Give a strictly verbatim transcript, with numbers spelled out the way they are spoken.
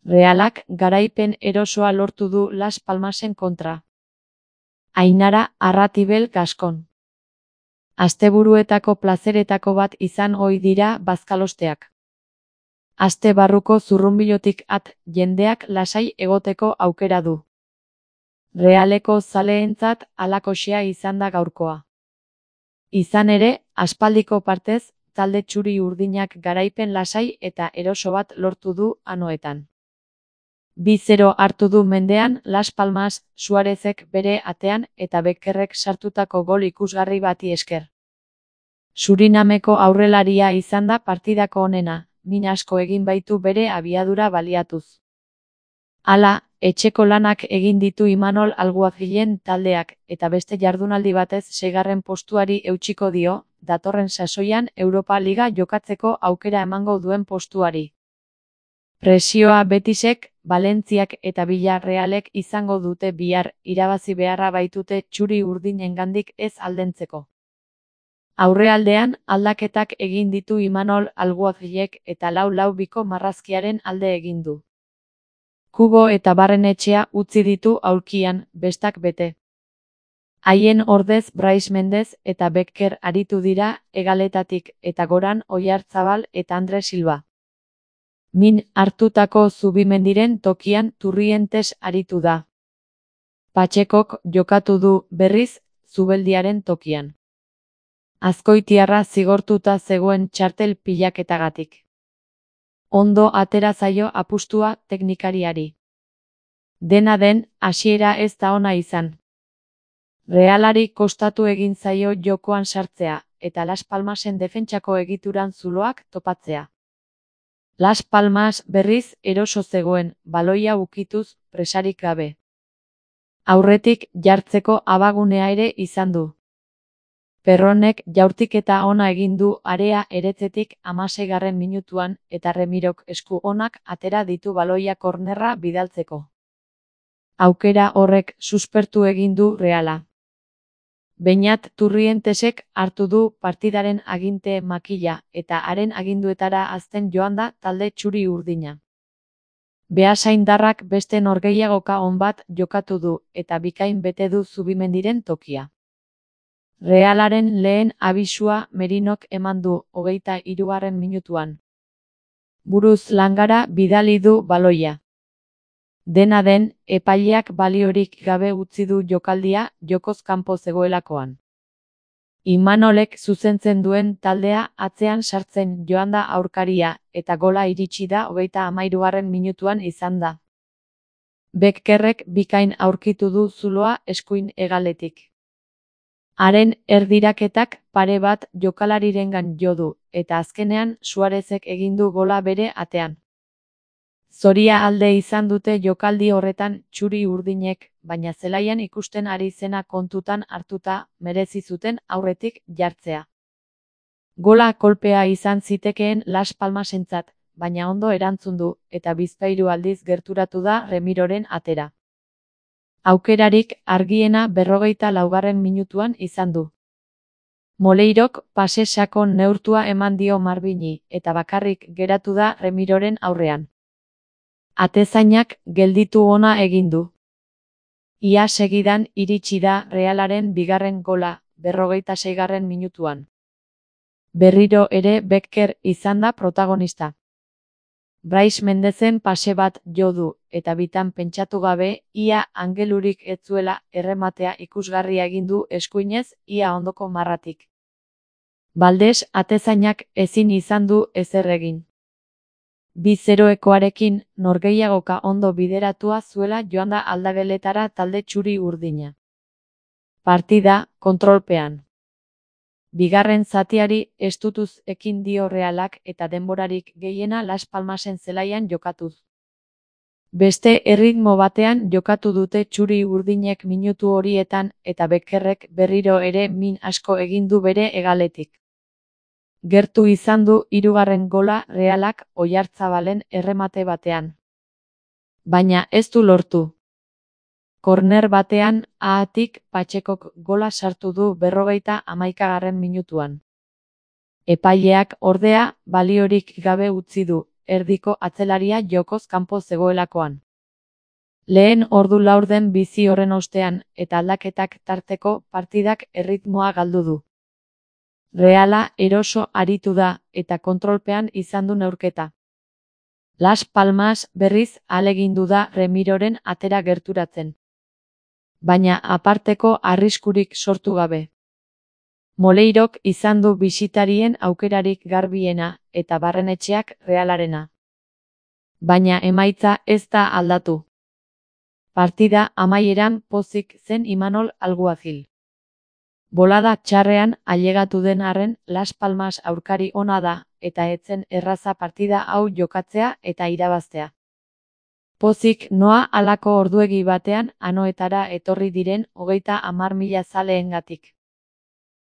Realak garaipen erosoa lortu du Las Palmasen kontra. Ainara Arratibel Gaskon. Asteburuetako plazeretako bat izan ohi dira bazkalosteak. Aste barruko zurrunbilotik at jendeak lasai egoteko aukera du. Realeko zaleentzat halakoxea izan da gaurkoa. Izan ere, aspaldiko partez, talde txuri-urdinak garaipen lasai eta eroso bat lortu du anoetan. bi zero hartu du mendean Las Palmas, Suarezek bere atean eta Beckerrek sartutako gol ikusgarri bati esker. Surinameko aurrelaria izan da partidako onena, min asko egin baitu bere abiadura baliatuz. Hala, etxeko lanak egin ditu Imanol Alguazilen taldeak, eta beste jardunaldi batez seigarren postuari eutsiko dio, datorren sasoian Europa Liga jokatzeko aukera emango duen postuari. Presioa Betisek, Valentziak eta Villarrealek izango dute bihar, irabazi beharra baitute txuri-urdinengandik ez aldentzeko. Aurrealdean, aldaketak egin ditu Imanol Alguazilek eta lau lau biko marrazkiaren alde egin du. Kubo eta Barrenetxea utzi ditu aulkian, bestak bete. Haien ordez Brais Mendez eta Becker aritu dira hegaletatik eta goran Oyarzabal eta Andre Silva. Min hartutako Zubimendiren tokian Turrientes aritu da. Patxekok jokatu du berriz Zubeldiaren tokian. Azkoitiarra zigortuta zegoen txartel pilaketagatik. Ondo atera zaio apustua teknikariari. Dena den, hasiera ez da ona izan. Realari kostatu egin zaio jokoan sartzea, eta Las Palmasen defentsako egituran zuloak topatzea. Las Palmas berriz eroso zegoen, baloia ukituz, presarik gabe. Aurretik jartzeko abagunea ere izan du. Perronek jaurtiketa ona egin du area eretzetik hamaseigarren minutuan eta Remirok esku onak atera ditu baloia kornerra bidaltzeko. Aukera horrek suspertu egin du Reala. Beñat Turrientesek hartu du partidaren aginte makila eta haren aginduetara azten joan da talde txuri-urdina. Beasaindarrak beste norgehiagoka on bat jokatu du eta bikain bete du Zubimendiren tokia. Realaren lehen abisua Merinok eman du hogeita hirugarren minutuan. Buruz langara bidali du baloia. Dena den, epaileak baliorik gabe utzi du jokaldia jokoz kanpo zegoelakoan. Imanolek zuzentzen duen taldea atzean sartzen joan da aurkaria eta gola iritsi da hogeita hamahirugarren minutuan izan da. Beckerrek bikain aurkitu du zuloa eskuin hegaletik. Haren erdiraketak pare bat jokalarirengan jo du, eta azkenean Suarezek egin du gola bere atean. Zoria alde izan dute jokaldi horretan txuri-urdinek, baina zelaian ikusten ari zena kontutan hartuta merezi zuten aurretik jartzea. Gola kolpea izan zitekeen Las Palmasentzat, baina ondo erantzun du, eta bizpahiru aldiz gerturatu da Remiroren atera. Aukerarik argiena berrogeita laugarren minutuan izan du. Moleirok pase sakon neurtua eman dio Marbini, eta bakarrik geratu da Remiroren aurrean. Atezainak gelditu ona egin du. Ia segidan iritsi da Realaren bigarren gola, berrogeita seigarren minutuan. Berriro ere Becker izan da protagonista. Brais Mendezen pase bat jo du, eta bitan pentsatu gabe, ia angelurik ez zuela errematea ikusgarria egin du eskuinez, ia ondoko marratik. Baldes atezainak ezin izan du ezer egin. bi zeroekoarekin norgehiagoka ondo bideratua zuela joan da aldageletara talde txuri-urdina. Partida kontrolpean. Bigarren zatiari estutuz ekin dio Realak eta denborarik gehiena Las Palmasen zelaian jokatuz. Beste erritmo batean jokatu dute txuri-urdinek minutu horietan eta Beckerrek berriro ere min asko egin du bere hegaletik. Gertu izan du hirugarren gola Realak Oyarzabalen erremate batean. Baina ez du lortu. Korner batean, ahatik Patxekok gola sartu du berrogeita hamaikagarren minutuan. Epaileak ordea baliorik gabe utzi du, erdiko atzelaria jokoz kanpo zegoelakoan. Lehen ordu laurden bizi horren ostean, eta aldaketak tarteko partidak erritmoa galdu du. Reala eroso aritu da, eta kontrolpean izan du neurketa. Las Palmas berriz ahalegindu da Remiroren atera gerturatzen. Baina aparteko arriskurik sortu gabe. Moleirok izan du bisitarien aukerarik garbiena, eta Barrenetxeak Realarena. Baina emaitza ez da aldatu. Partida amaieran pozik zen Imanol Alguazil. Bolada txarrean ailegatu den arren Las Palmas aurkari ona da, eta etzen erraza partida hau jokatzea eta irabaztea. Pozik noa halako orduegi batean Anoetara etorri diren hogeita hamar mila zaleengatik.